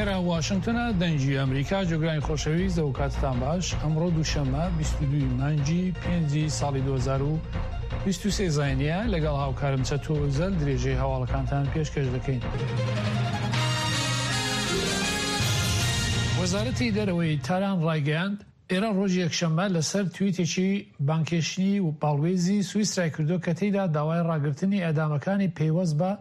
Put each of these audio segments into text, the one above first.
ئێرە واشنگتنە دەنگی ئەمریکا جۆگرانی خۆشەویست ئەو کاتتان باش ئەمڕۆ دووشەممە 22 مانگی پێنجی ساڵی 2023 زاینیە لەگەڵ هاوکارم چەتۆ ئۆزەل درێژەی هەواڵەکانتان پێشکەش دەکەین. وەزارەتی دەرەوەی تاران ڕایگەیاند، ئێران ڕۆژی یەکشەممە لەسەر تویتێکی بانگهێشتنی باڵوێزی سویسرای کردووە کە تێیدا داوای ڕاگرتنی ئێعدامەکانی پەیوەست بە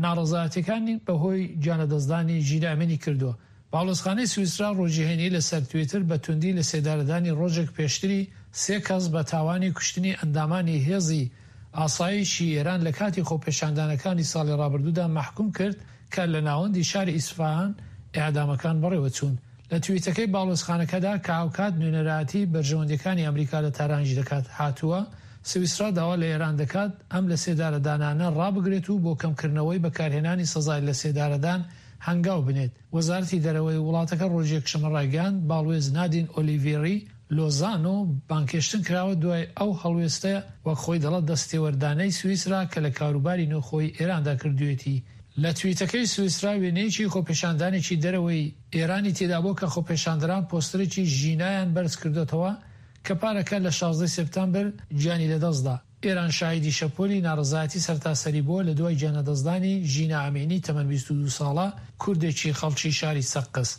ناڕەزایەتیەکانی بەهۆی گیانلەدەستدانی ژینا ئەمینی کردووە. باڵوێزخانەی سویسرا ڕۆژی هەینی لەسەر تویتر بە توندی لەسێدارەدانی ڕۆژێک پێشتری سێ کەس بە تاوانی کوشتنی ئەندامانی هێزی ئاسایشی ئێران لە کاتی خۆپێشاندانەکانی ساڵی ڕابردوودا مەحکوم کرد کە لە ناوەندی شاری ئیسفەهان ئێعدامەکان بەڕێوەچوون. لە تویتەکەی باڵوێزخانەکەدا کە هاوکات نوێنەرایەتی بەرژەوەندیەکانی ئەمریکا لە تارانیش دەکات هاتووە، سویسرا داوا لە ئێران دەکات ئەم لەسێدارەدانانە ڕابگرێت و بۆ کەمکردنەوەی بەکارهێنانی سەزای لەسێدارەدان هەنگاو بنێت. وەزارەتی دەرەوەی وڵاتەکە ڕۆژی یەکشەممە ڕایگەیاند، باڵوێز نادین ئۆلیڤێری لۆزانۆ بانگهێشتن کراوە دوای ئەو هەڵوێستە وەک خۆی دەڵێت دەستێوەردانەی سویسرا کە لە کاروباری نێوخۆی ئێراندا کردوویەتی. لە تویتەکەی سویسرا وێنەیەکی خۆپێشاندانێکی دەرەوەی ئێرانی تێدابووە کە خۆپێشاندەران پۆستەرێکی ژینایان بەرزکردۆتەوە کە پارەکە لە 16 سێپتامبر گیانی لەدەستدا. ئێران شاهیدی شەپۆلی ناڕەزایەتی سەرتاسەری بووە لە دوای گیانلەدەستدانی ژینا ئەمینی تەمەن 22 ساڵە کوردێکی خەڵکی شاری سەقز.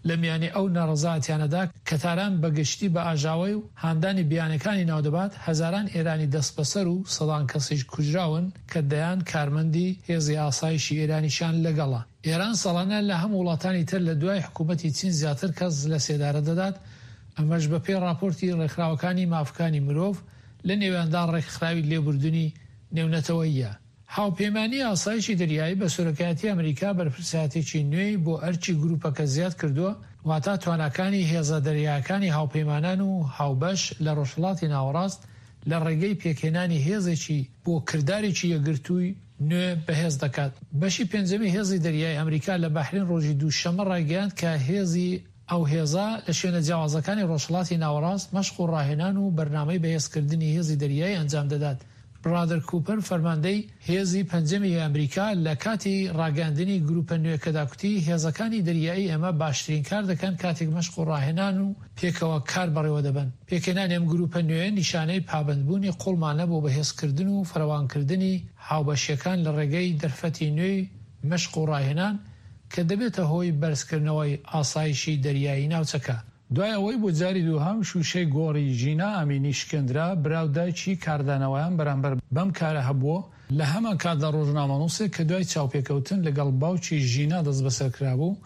لە میانی ئەو ناڕەزایەتیانەدا کە تاران بە گشتی بە ئاژاوەی و هاندانی بیانەکانی ناودەبات، هەزاران ئێرانی دەستبەسەر و سەدان کەسیش کوژراون کە دەیان کارمەندی هێزی ئاسایشی ئێرانیشیان لەگەڵە. ئێران ساڵانە لە هەموو وڵاتانی تر لە دوای حکوومەتی چین زیاتر کەس لە سێدارە دەدات، ئەمەش بە پێی ڕاپۆرتی ڕێکخراوەکانی مافکانی مرۆڤ لە نێویاندا ڕێکخراوی لێبوردنی نێونەتەوەییە. هاوپەیمانیی ئاسایشی دەریایی بە سەرۆکایەتی ئەمریکا بەرپرسایەتێکی نوێی بۆ ئەرکی گروپەکە زیاد کردووە، واتا تواناکانی هێزە دەریایەکانی هاوپەیمانان و هاوبەش لە ڕۆژهەڵاتی ناوەڕاست لە ڕێگەی پێکهێنانی هێزێکی بۆ کردارێکی یەکگرتووی نوێ بەهێز دەکات. بەشی پێنجەمی هێزی دەریایی ئەمریکا لە بەحرین ڕۆژی دووشەممە ڕایگەیاند کە هێزی ئەو هێزە لە شوێنە جیاوازەکانی ڕۆژهەڵاتی ناوەڕاست مەشق و ڕاهێنان و بەرنامەی بەهێزکردنی هێزی دەریایی ئەنجام دەدات. برادەر کوپەر فەرماندەی هێزی پەنجەمی ئەمریکا لە کاتی ڕاگەیاندنی گروپە نوێکەدا کوتی، هێزەکانی دەریایی ئێمە باشترین کار دەکەن کاتێک مەشق و ڕاهێنان و پێکەوە کار بەڕێوەدەبەن. پێکهێنانی ئەم گروپە نوێیە نیشانەی پابەندبوونی قوڵمانە بۆ بەهێزکردن و فراوانکردنی هاوبەشییەکان لە ڕێگەی دەرفەتی نوێی مەشق و ڕاهێنان کە دەبێتە هۆی بەرزکردنەوەی ئاسایشی دەریایی ناوچەکە. دوای ئەوەی بۆ جاری دووهەم شووشەی گۆڕی ژینا ئەمینی شکێندرا، برا و دایکی کاردانەوەیان بەرامبەر بەم کارە هەبووە، لە هەمان کاتدا ڕۆژنامەنووسێک کە دوای چاوپێکەوتن لەگەڵ باوکی ژینا دەستبەسەر کرابوو،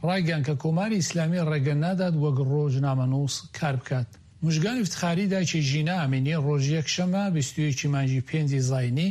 ڕایگەیاند کە کۆماری ئیسلامی ڕێگە نادات وەک ڕۆژنامەنووس کار بکات. موژگان ئیفتخاری دایکی ژینا ئەمینی ڕۆژی یەکشەممە 21 ی مانگی پێنجی زاینی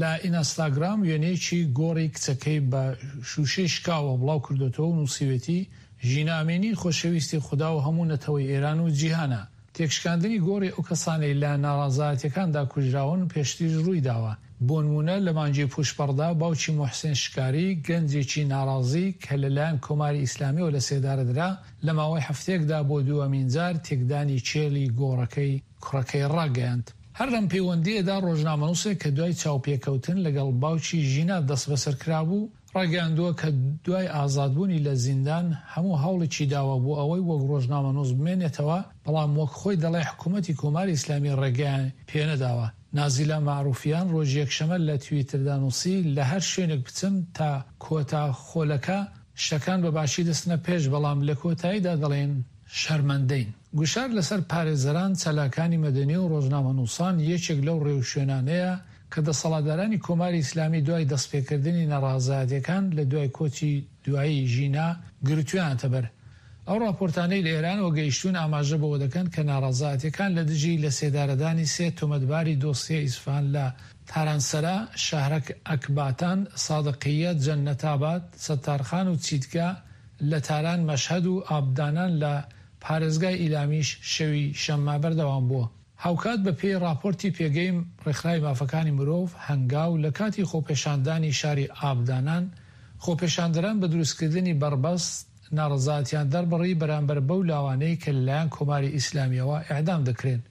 لە ئینستاگرام وێنەیەکی گۆڕی کچەکەی بە شووشەی شکاوە بڵاو کردۆتەوە و نووسیوێتی، ژینا ئەمینی خۆشەویستی خودا و هەموو نەتەوەی ئێران و جیهانە. تێکشکاندنی گۆڕی ئەو کەسانەی لە ناڕازایەتیەکاندا کوژراون پێشتریش ڕوویداوە. بۆنموونە لە مانگی پووشپەڕدا باوکی موحسین شکاری، گەنجێکی ناڕازی کە لەلایەن کۆماری ئیسلامیەوە لەسێدارەدرا، لە ماوەی هەفتەیەکدا بۆ دووەمین جار تێکدانی کێلی گۆڕەکەی کوڕەکەی ڕاگەیاند. هەر لەم پەیوەندییەدا ڕۆژنامەنووسێک کە دوای چاوپێکەوتن لەگەڵ باوکی ژینا دەستبەسەر کرابوو، ڕایگەیاندووە کە دوای ئازادبوونی لە زیندان هەموو هەوڵێکی داوە بۆ ئەوەی وەک ڕۆژنامەنووس بمێنێتەوە، بەڵام وەک خۆی دەڵێ حکوومەتی کۆماری ئیسلامی ڕێگەیان پێنەداوە. نازیلا مەعرووفیان ڕۆژی یەکشەمە لە تویتردا نووسی، لە هەر شوێنێک بچم تا کۆتا خولەکە شتەکان بە باشی دەچنە پێش، بەڵام لە کۆتاییدا دەڵێن شەرمەندەین. گوشار لەسەر پارێزەران، چالاکانی مەدەنی و ڕۆژنامەنووسان یەکێک لەو ڕێوشوێنانەیە کە دەسەڵاتدارانی کۆماری ئیسلامی دوای دەستپێکردنی ناڕازایەتیەکان لە دوای کۆچی دوایی ژینا گرتوویانەتە بەر. ئەو ڕاپۆرتانەی لە ئێرانەوە گەیشتوون ئاماژە بەوە دەکەن کە ناڕەزایەتیەکان لە دژی لەسێدارەدانی سێ تۆمەتباری دۆسیە ئیسفهان لە تارانسەرا، شەهرەک ئەکباتان، سادقییە، جەننەتاباد، سەتارخان و چیتگا لە تاران، مەشهەد و ئابدانان لە پارێزگای ئیلامیش شەوی شەممە بەردەوام بووە. هاوکات بە پێی ڕاپۆرتی پێگەی ڕێکخراوی مافەکانی مرۆڤ، هەنگاو، لە کاتی خۆپێشاندانی شاری ئابدانان، خۆپێشاندەران بە دروستکردنی بەڕبەست ناڕەزایەتیان دەربڕی بەرامبەر بەو لاوانەی کە لەلایەن کۆماری ئیسلامییەوە ئێعدام دەکرێن.